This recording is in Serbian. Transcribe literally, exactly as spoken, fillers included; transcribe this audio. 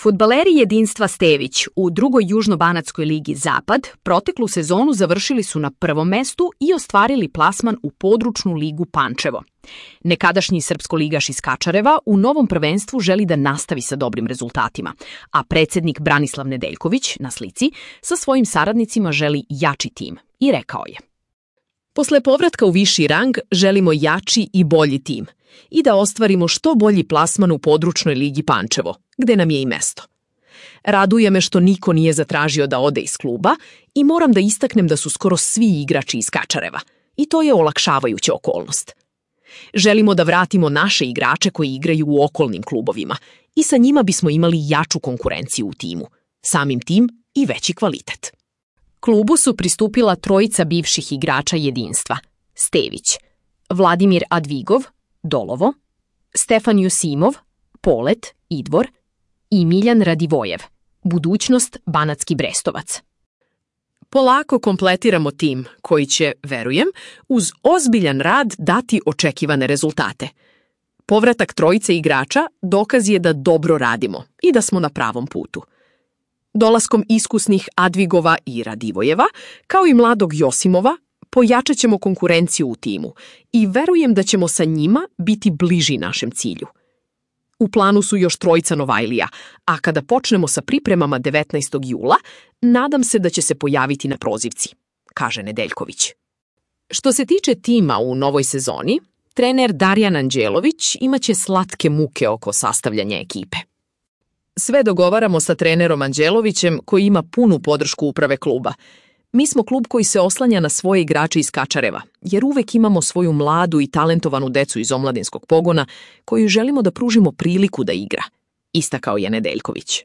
Fudbaleri jedinstva Stević u drugoj južnobanatskoj ligi Zapad proteklu sezonu završili su na prvom mestu i ostvarili plasman u područnu ligu Pančevo. Nekadašnji srpsko-ligaš iz Kačareva u novom prvenstvu želi da nastavi sa dobrim rezultatima, a predsjednik Branislav Nedeljković na slici sa svojim saradnicima želi jači tim i rekao je: Posle povratka u viši rang želimo jači i bolji tim i da ostvarimo što bolji plasman u područnoj ligi Pančevo, gde nam je i mesto. Raduje me što niko nije zatražio da ode iz kluba i moram da istaknem da su skoro svi igrači iz Kačareva i to je olakšavajuća okolnost. Želimo da vratimo naše igrače koji igraju u okolnim klubovima i sa njima bismo imali jaču konkurenciju u timu, samim tim i veći kvalitet. Klubu su pristupila trojica bivših igrača jedinstva: Stević, Vladimir Advigov, Dolovo, Stefan Jusimov, Polet, Idvor i Miljan Radivojev, budućnost Banatski Brestovac. Polako kompletiramo tim koji će, verujem, uz ozbiljan rad dati očekivane rezultate. Povratak trojice igrača dokaz je da dobro radimo i da smo na pravom putu. Dolaskom iskusnih Advigova i Radivojeva, kao i mladog Josimova, pojačat ćemo konkurenciju u timu i verujem da ćemo sa njima biti bliži našem cilju. U planu su još trojica Novajlija, a kada počnemo sa pripremama devetnaestog jula, nadam se da će se pojaviti na prozivci, kaže Nedeljković. Što se tiče tima u novoj sezoni, trener Darjan Anđelović imaće slatke muke oko sastavljanja ekipe. Sve dogovaramo sa trenerom Anđelovićem koji ima punu podršku uprave kluba. Mi smo klub koji se oslanja na svoje igrače iz Kačareva, jer uvek imamo svoju mladu i talentovanu decu iz omladinskog pogona koju želimo da pružimo priliku da igra, istakao je Nedeljković.